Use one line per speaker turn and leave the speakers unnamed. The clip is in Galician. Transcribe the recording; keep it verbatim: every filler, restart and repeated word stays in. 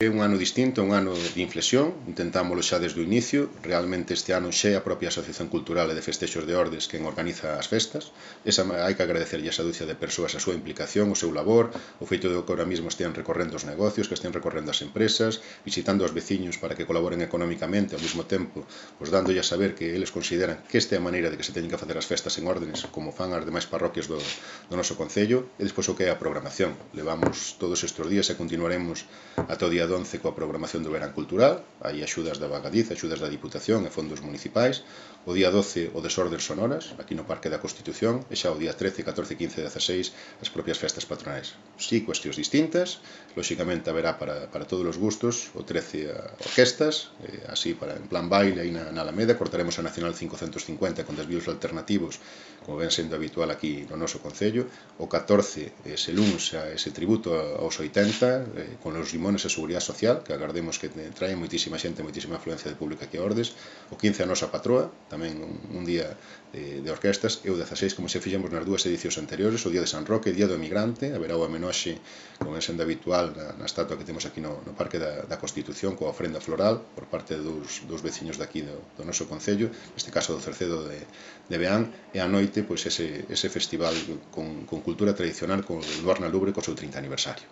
É un ano distinto, un ano de inflexión, intentámoslo xa desde o inicio, realmente este ano xa é a propia Asociación Cultural e de Festexos de Ordes quen organiza as festas, esa, hai que agradecerlle a esa dúcia de persoas a súa implicación, o seu labor, o feito de que ahora mismo estean recorrendo os negocios, que estean recorrendo as empresas, visitando aos veciños para que colaboren económicamente, ao mesmo tempo, pois dándolle a saber que eles consideran que esta é a maneira de que se teñen que facer as festas en órdenes, como fan as demais parroquias do, do noso concello, e despois o que é a programación. Levamos todos estes días e continuaremos ata o día once coa programación do verán cultural, hai axudas da Vagadiz, axudas da Diputación e fondos municipais, o día doce o Desordes Sonoras, aquí no Parque da Constitución, e xa o día trece, catorce, quince e dezaseis as propias festas patronais. Si, cuestións distintas, lóxicamente haberá para, para todos os gustos, o trece a orquestas, eh, así para en plan baile aí na, na Alameda, cortaremos a Nacional quinhentos cincuenta con desvíos alternativos, como ven sendo habitual aquí no noso concello, o catorce ese luns a ese tributo aos oitenta, eh, con os limones e seguridade social, que agardemos que trae moitísima xente, moitísima afluencia de público aquí a Ordes, o quince a nosa patroa, tamén un, un día de, de orquestas, e o dezaseis, como se fixemos nas dúas edicións anteriores, o día de San Roque, día do emigrante, haberá o homenaxe, como é sendo habitual, na, na estatua que temos aquí no, no Parque da, da Constitución, coa ofrenda floral, por parte dos, dos veciños daqui do, do noso concello, neste caso do Cercedo de, de Beán, e a noite, pois ese, ese festival con, con cultura tradicional, con o Luar na Lubre, co seu trinta aniversario.